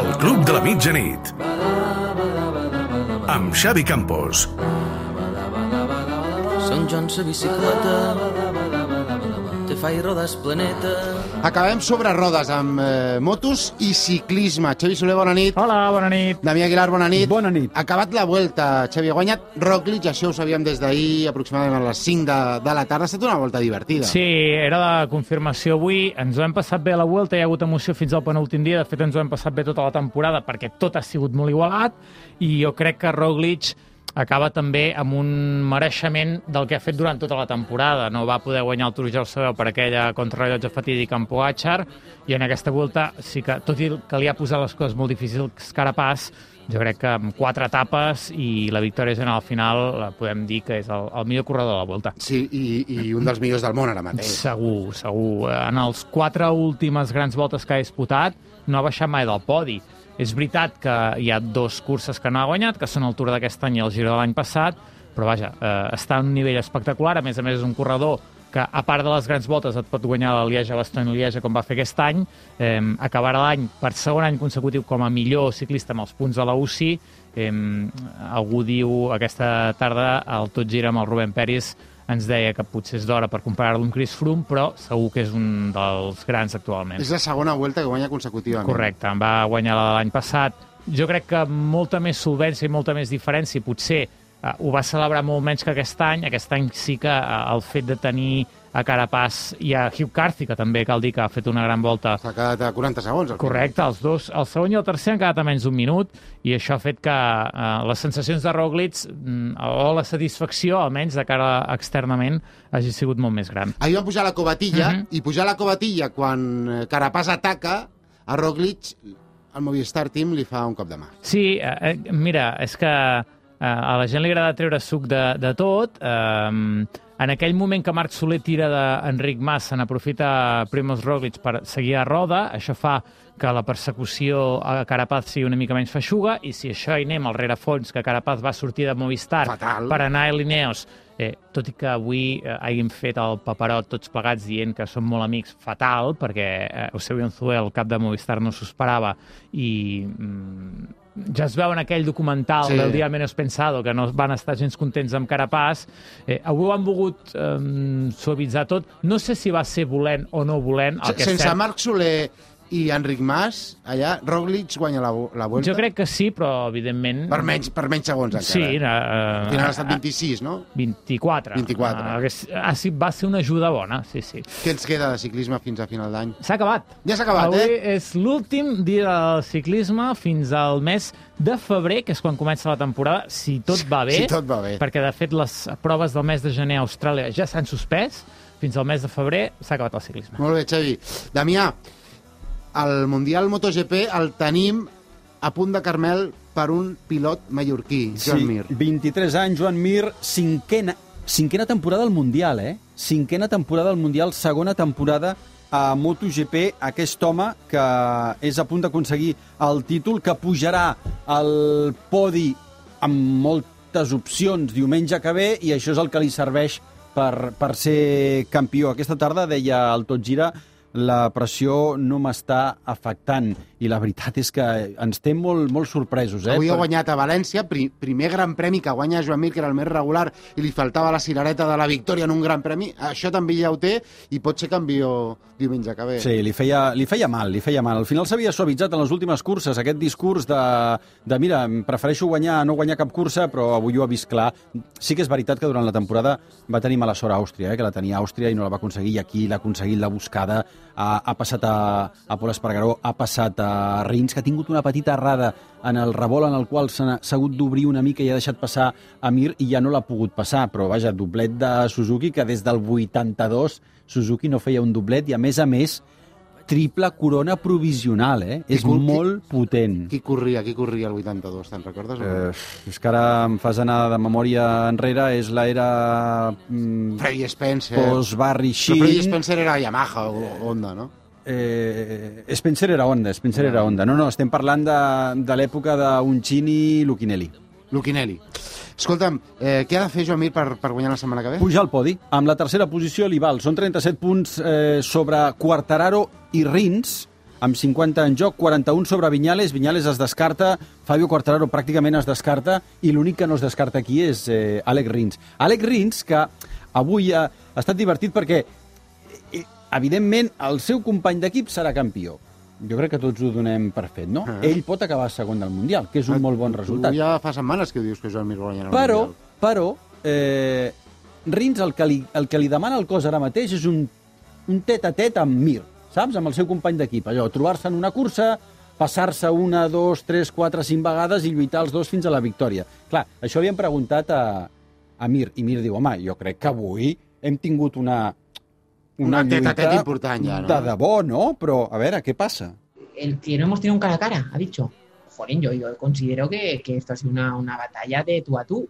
El Club de la Mitjanit. Amb Xavi Campos. Sant Joan sa bicicleta te fa i rodes planeta. Acabem sobre rodes amb motos i ciclisme. Xavi Soler, bona nit. Hola, bona nit. Damià Aguilar, bona nit. Bona nit. Acabat la Vuelta, Xavi, ha guanyat Roglic, això ho sabíem des d'ahir, aproximadament a les 5 de la tarda. Ha estat una volta divertida. Sí, era la confirmació avui. Ens ho hem passat bé a la Vuelta, hi ha hagut emoció fins al penúltim dia. De fet, ens ho hem passat bé tota la temporada perquè tot ha sigut molt igualat i jo crec que Roglic acaba també amb un mereixement del que ha fet durant tota la temporada. No va poder guanyar el Tour de Sabeu per aquella contrarrellotge fatídica amb Pogačar i en aquesta Vuelta sí que, tot i que li ha posat les coses molt difícils Carapaz, jo crec que amb 4 etapes i la victòria general al final podem dir que és el millor corredor de la Vuelta. Sí, i un dels millors del món ara mateix. Segur, segur. En els 4 últimes grans voltes que ha disputat no ha baixat mai del podi. És veritat que hi ha 2 curses que no ha guanyat, que són el Tour d'aquest any i el Giro de l'any passat, però vaja, està a un nivell espectacular. A més és un corredor que, a part de les grans voltes, et pot guanyar la Lieja-Bastogne-Lieja, com va fer aquest any, acabarà l'any per segon any consecutiu com a millor ciclista amb els punts de la UCI. Algú diu aquesta tarda al Tot Gira amb el Rubén Peris ens deia que potser és d'hora per comparar-lo amb Chris Froome, però segur que és un dels grans actualment. És la segona Vuelta que guanya consecutivament. Correcte, en va guanyar la de l'any passat. Jo crec que molta més solvència i molta més diferència, potser ho va celebrar molt menys que aquest any. Aquest any sí que el fet de tenir a Carapaz i a Hugh Carthy, que també cal dir que ha fet una gran volta. S'ha quedat a 40 segons. Correcte, els dos, el segon i el tercer han quedat a menys d'un minut i això ha fet que les sensacions de Roglic o la satisfacció, almenys de cara externament, hagi sigut molt més gran. Ahir van pujar la covatilla i pujar la covatilla quan Carapaz ataca a Roglic, el Movistar Team li fa un cop de mà. Sí, mira, és que a la gent li agrada treure suc de tot. En aquell moment que Marc Soler tira d'Enric Mas, se n'aprofita Primož Roglic per seguir a roda. Això fa que la persecució a Carapaz sigui una mica menys feixuga, i si això hi anem al rerefons, que Carapaz va sortir de Movistar per anar a Ineos, tot i que avui hàgim fet el paperot tots plegats dient que som molt amics, fatal, perquè Eusebio Unzué, el cap de Movistar, no s'ho esperava, i ja es veu en aquell documental del Día Menos Pensado que no van estar gens contents amb Carapaz. Avui ho han volgut suavitzar tot. No sé si va ser volent o no volent. Sense Marc Soler i Enric Mas, allà Roglic guanya la Vuelta? Jo crec que sí, però evidentment... Per menys segons encara. Sí. Al final ha estat 26, no? 24. Va ser una ajuda bona, sí. Què ens queda de ciclisme fins a final d'any? S'ha acabat. Ja s'ha acabat, Avui és l'últim dia del ciclisme fins al mes de febrer, que és quan comença la temporada, si tot va bé. Si tot va bé. Perquè, de fet, les proves del mes de gener a Austràlia ja s'han suspès. Fins al mes de febrer s'ha acabat el ciclisme. Molt bé, Xavi. Damià, el Mundial MotoGP el tenim a punt de Carmel per un pilot mallorquí, Joan Mir. 23 anys, Joan Mir, cinquena temporada al Mundial, Cinquena temporada al Mundial, segona temporada a MotoGP, aquest home que és a punt d'aconseguir el títol, que pujarà al podi amb moltes opcions diumenge que ve, i això és el que li serveix per ser campió. Aquesta tarda deia el Tot Gira: la pressió no m'està afectant, i la veritat és que ens té molt sorpresos. Avui ha guanyat a València, primer gran premi que guanya Joan Mir, que era el més regular, i li faltava la cirereta de la victòria en un gran premi. Això també ja ho té, i pot ser campió diumenge que ve. Sí, li feia mal. Al final s'havia suavitzat en les últimes curses aquest discurs de mira, prefereixo guanyar a no guanyar cap cursa, però avui ho ha vist clar. Sí que és veritat que durant la temporada va tenir mala sort a Àustria, que la tenia a Àustria i no la va aconseguir, i aquí l'ha aconseguit, la buscada. Ha passat a Pol Espargaró, ha passat a Rins, que ha tingut una petita errada en el revolt en el qual s'ha hagut d'obrir una mica i ha deixat passar a Mir, i ja no l'ha pogut passar. Però vaja, doblet de Suzuki, que des del 82 Suzuki no feia un doblet, i a més triple corona provisional, És molt potent. Qui corria el 82, te'n recordes? És que ara em fas anar de memòria enrere, és l'era... Freddie Spencer. Post-Barry Sheen. Però Freddie Spencer era Yamaha o Honda, no? Spencer era Honda. No, estem parlant de l'època d'Uncini i Lucchinelli. Escolta'm, què ha de fer Joan Mir per guanyar la setmana que ve? Pujar al podi. Amb la tercera posició li val. Són 37 punts sobre Quartararo i Rins. amb 50 en joc, 41 sobre Viñales. Viñales es descarta, Fabio Quartararo pràcticament es descarta, i l'únic que no es descarta aquí és Alex Rins. Alex Rins, que avui ha estat divertit perquè, evidentment, el seu company d'equip serà campió. Jo crec que tots ho donem per fet, no? Ell pot acabar segon del Mundial, que és un molt bon resultat. Tu ja fa setmanes que dius que Joan Mir guanyarà el Mundial. Però, Rins el que li demana el cos ara mateix és un tet-a-tet amb Mir, saps? Amb el seu company d'equip. Allò, trobar-se en una cursa, passar-se 1, 2, 3, 4, 5 vegades i lluitar els dos fins a la victòria. Clar, això havíem preguntat a Mir, i Mir diu, home, jo crec que avui hem tingut una tet-a-tet important ja, ¿no? De debò, ¿no? Pero, a ver, ¿a qué pasa? El que no hemos tenido un cara a cara, ha dicho. Jolín, yo considero que esto ha sido una batalla de tú a tú.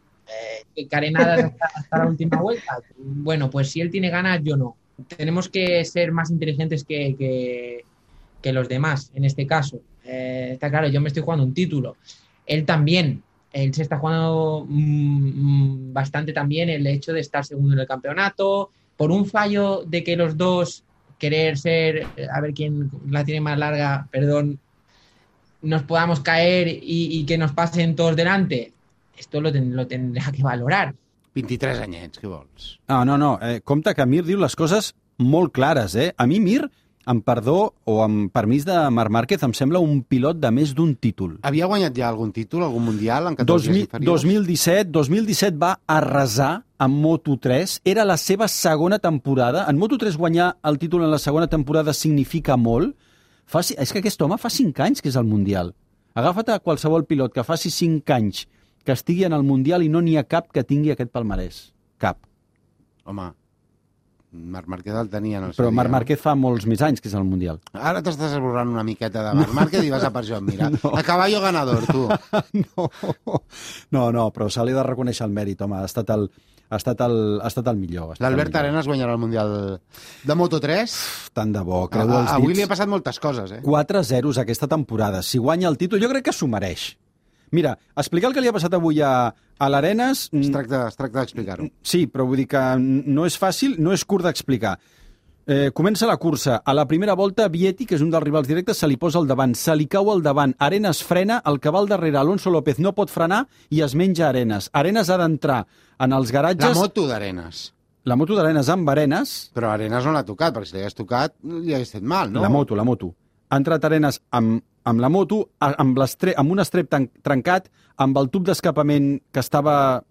Carenadas hasta la última vuelta. Bueno, pues si él tiene ganas, yo no. Tenemos que ser más inteligentes que los demás, en este caso. Está claro, yo me estoy jugando un título. Él también. Él se está jugando bastante también el hecho de estar segundo en el campeonato. Por un fallo de que los dos querer ser, a ver quién la tiene más larga, perdón, nos podamos caer y que nos pasen todos delante, esto lo tendrá que valorar. 23 anyets, què vols? No. Compte que Mir diu les coses molt clares, eh? A mi Mir, amb perdó o amb permís de Marc Márquez, em sembla un pilot de més d'un títol. Havia guanyat ja algun títol, algun mundial en categories inferiors? 2017 va arrasar amb Moto3, era la seva segona temporada. En Moto3 guanyar el títol en la segona temporada significa molt. És que aquest home fa 5 anys que és al Mundial. Agafa't a qualsevol pilot que faci 5 anys que estigui en el Mundial i no n'hi ha cap que tingui aquest palmarès. Cap. Home, Marc Márquez el tenia en el seu Però dia. Marc Márquez fa molts més anys que és al Mundial. Ara t'estàs esborrant una miqueta de Marc Márquez i vas a per Joan Mir. A caballo ganador, tu. No, però se li ha de reconèixer el mèrit, home. Ha estat el millor. L'Albert Arenas guanyarà el Mundial de Moto3. Tant de bo, creu els dits. Avui li ha passat moltes coses, 4-0 aquesta temporada. Si guanya el títol, jo crec que s'ho mereix. Mira, explicar el que li ha passat avui a l'Arenas... Es tracta d'explicar-ho. Sí, però vull dir que no és fàcil, no és curt d'explicar. Comença la cursa. A la primera volta, Vietti, que és un dels rivals directes, se li posa al davant, se li cau al davant. Arenas frena, el que va al darrere, Alonso López, no pot frenar i es menja Arenas. Arenas ha d'entrar en els garatges... La moto d'Arenas. La moto d'Arenas amb Arenas... Però Arenas no l'ha tocat, perquè si l'hagués tocat li hagués fet mal, no? La moto. Ha entrat Arenas amb la moto, amb un estrep trencat, amb el tub d'escapament que estava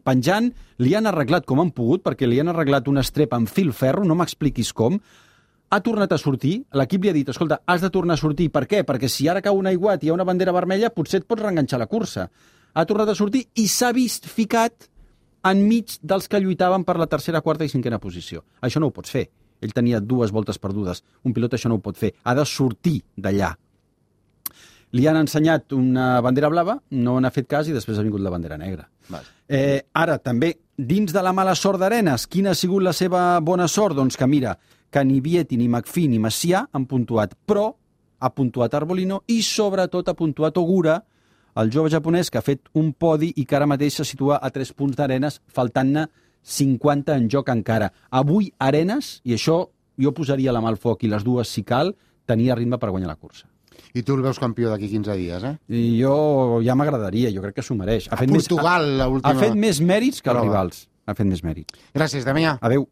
penjant, li han arreglat com han pogut, perquè li han arreglat un estrep amb fil ferro, no m'expliquis com, ha tornat a sortir, l'equip li ha dit, escolta, has de tornar a sortir, per què? Perquè si ara cau un aiguat i hi ha una bandera vermella, potser et pots reenganxar la cursa. Ha tornat a sortir i s'ha vist ficat enmig dels que lluitaven per la tercera, quarta i cinquena posició. Això no ho pots fer. Ell tenia 2 voltes perdudes. Un pilot això no ho pot fer. Ha de sortir d'allà. Li han ensenyat una bandera blava, no n'ha fet cas i després ha vingut la bandera negra. Ara, també, dins de la mala sort d'Arenas, quina ha sigut la seva bona sort? Doncs que mira, que ni Vietti, ni McPhee, ni Macià han puntuat, però ha puntuat Arbolino i sobretot ha puntuat Ogura, el jove japonès que ha fet un podi i que ara mateix se situa a 3 punts d'Arenas, faltant-ne 50 en joc encara. Avui Arenas, i això jo posaria la mà al foc i les dues si cal, tenia ritme per guanyar la cursa. I tu el veus campió d'aquí 15 dies, I jo ja m'agradaria, jo crec que s'ho mereix. Portugal, l'última... Ha fet més mèrits que els rivals. Ha fet més mèrits. Gràcies, Damià. Adéu.